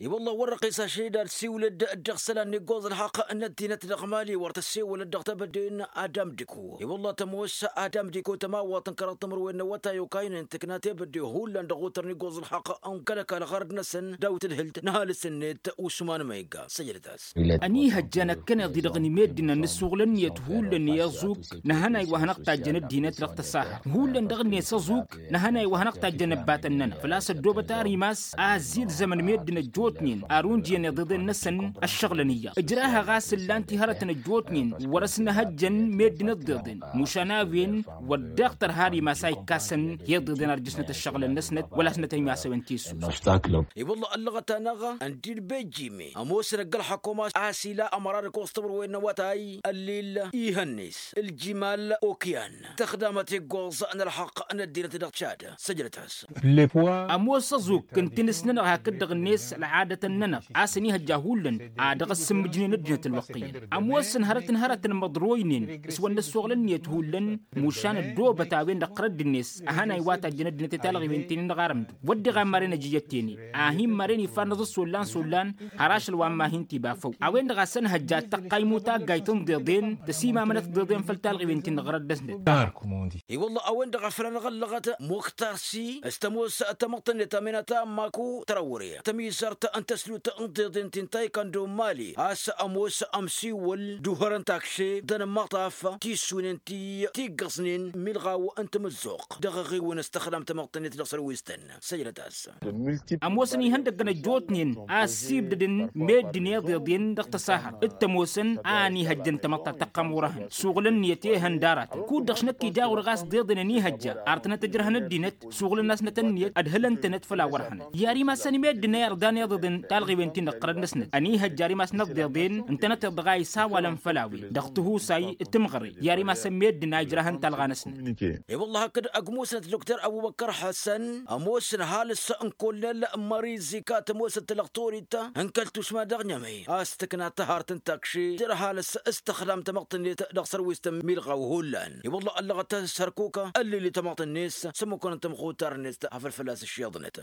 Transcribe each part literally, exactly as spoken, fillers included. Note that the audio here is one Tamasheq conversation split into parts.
I-wălla wăr-răqqis ašăl-i d-ad-siwǝlăd dăɣ-isălan n-iggoẓ ălxaqq n-ăddinăt dăɣ-mali wăr tăssewălăd dăɣ-tebădden. Adam diko i-wălla tămoos adam diko tămawăḍt n-kăraḍ timǝrwen n-awătay okaynen tǝkna tebădde hullan dăɣ-otăr n-iggoẓ ălxaqq n-kăl-ăkall ɣărăd-năsăn daw-tǝdhǝlt n-ăhalǝs-net usman ma igga săjdăt-as. Ănihăjja năkkăneḍ-i dăɣ-inmeddǝnăn n-ǝssuɣǝl ǝnniyăt hullan i-ăẓuk nǝhănay wa hanăɣ-tajjăn ăddinăt dăɣ-tăsaha hullan dăɣ-net ăẓuk nǝhănay wa hanăɣ-tajjăn ăbbatăn-nănăɣ făl-a-s ăddoobăt ar imas a ăzzid zămăn meddǝn ăjjootnen ar unjǝyăn iḍeḍen-năsăn. Ăššăɣlăn iyyăḍ ǝjrahăɣ a-s ǝllan-t i-hărătăn ăjjootnen wăr-ăsnăhăjjăn meddǝn ǝḍḍeḍen mušan a-wen wăr dd-iɣtăr har imas a ikkasăn i-iḍeḍen ar jăsnăt ăššăɣlăn-năsnăt wăla s-nătăn imas a-wen tissus. I-wălla ăllăɣăt-anăɣ ăndin bejime ămoosăn ăgg-ălxăkkum a-s ila ămăra d-ăkkoẓ timǝrwen n-awătay ăllil ihăn-net ǝljimal okyan tăxdamăt iggoẓ n-ălxăqq n-ăddinăt dăɣ-tšad. Săjdăt-as. Ămoos ăẓuk n-tinǝs-nănăɣ hakd-dăɣ-net ălɣadătăn-nănăɣ a-s ănihăjja hullan a dăɣ-ăssǝmmǝjnen ăddinăt ălwăqq iyyăn ămoosăn hărăt n-hărăt n-imǝḍroynen s-wăr nǝssoɣlăn-net hullan mušan ăddoobăt a-wen-dăɣ tărădd-net ăhănay wa tajjăn ăddinăt i-talɣiwen ti-nin-dăɣ arǝmdǝw wăr diɣ a n-maren ăjijăt-ten-ed a hin-maren ifarnăẓ-s ollan s-ollan har ašăl wa n-ma hin-t-iba făw a-wen-dăɣ a-s ănhăjja ad-tăqqay imuta ăggay tǝnḍeḍen tăsimamănăt tǝnḍeḍen făll-talɣiwen ti n-ɣărăt dăɣ-snăt. I-wălla a-wen-dăɣ a făl anăɣ-ăllăɣăt muktar si s-tămoos tamăḍt-net aminata n-maku tărawre tămizărt n-tăslut n-tǝnḍeḍen ti n-taykando n-mali a-s ămoos ămsiwăl d-uhărăn takše d-anămmaṭṭaf tissunen ti tiggăẓnen milɣaw n-tamǝzzuɣt dăɣ-eɣiwăn s-tăxdam tamăḍt-net dăɣ-sărwistăn. Săjdăt-as. Ămoosăn ihăndăggăn ăjjootnen a ăssiibdădăn meddǝn iḍeḍen dăɣ-tăsahărt d-tămoosăn a ănihăjjăn tamăḍt ta tăqqăm wăr-ehăn suɣǝl ǝnniyăt i-ehăn d-aratăn kud-dăɣ šnăkk ija ɣur-ɣas d-iḍen ănihăjja ar tănăt-ǝjrăhăn ăddinăt suɣǝl-năsnăt ǝnniyăt ădhǝlăn-tănăt făll-a wăr-ehănăt i-ar imassăn meddǝn a irḍan iḍeḍen talɣiwen ti n-ăqqărăd-năsnăt ănihăjja ar imassăn ăḍḍeḍen ǝntănăteḍ dăɣ-a isawalăn făll-a-wen dăɣ-tihusay d-timɣăre i-ar imassăn meddǝn a ijrahăn talɣa-năsnăt. I-wălla hakd ăgg-musnăt doktor ăbubăkkăr ḥăsăn ămoosăn ăhalǝs n-kollel mări zika tămoosăt talăɣtorit n-kăl-tušma dăɣ-nyămăy a-s tǝkna tăhart n-takši jer-ăhalǝs s-tăxdam tamăḍt-net dăɣ-sărwistăn milɣaw hullan i-wălla ăllăɣăt s-hărkukă ăllili tamăḍt-net s-ămmukăn n-tamxutar-net afăl fălla-s ǝššeḍnăt.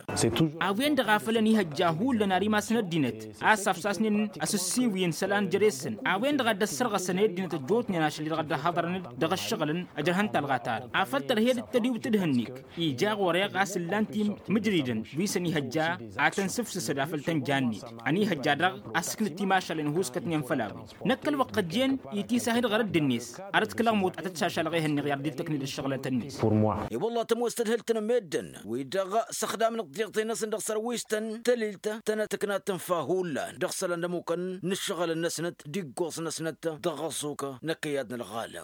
A-wen-dăɣ a făl ănihăjja hullan ar imasăn ăddinăt a-s afsasnen asǝssiwǝyăn isălan jere-săn a-wen-dăɣ a dd-ăssărɣăsăn i-ăddinăt ăjjootnen ašăl-i-dăɣ a dd-ăhhăḍărăn dăɣ-ăššăɣǝlăn ăjrăhăn talɣa ta-dăɣ afăl tărhed d-tădiwt d-hănnik ija ɣur-eɣ a-s ǝllan timǝjridăn wi s-ănihăjja ad-tăn-sǝfsǝsăd afăl tăn-jannet ănihăjja daɣ a-s ǝknǝt timašalen ăhuuskătnen făll-a-wen năkk ălwăqq ăjjeen itisah-dd ɣărădd-net arăt kǝlăɣmut ad-tăt-šašalăɣ ehăn-niɣ i-ar dd-tăkned ăššăɣlăt-net. I-wălla tămoos tădhǝlt n-meddǝn wi-dăɣ s-ăxdamnăt tiɣtăy-năsăn dăɣ-sărwistăn tălilt tănăt tǝknat tǝnfa hullan dăɣ-isălan d-ămmukăn n-ǝššăɣǝlăn-năsnăt d-iggoẓ-năsnăt dăɣ-ăẓẓuk n-ăkkăyad n-ălɣalăm.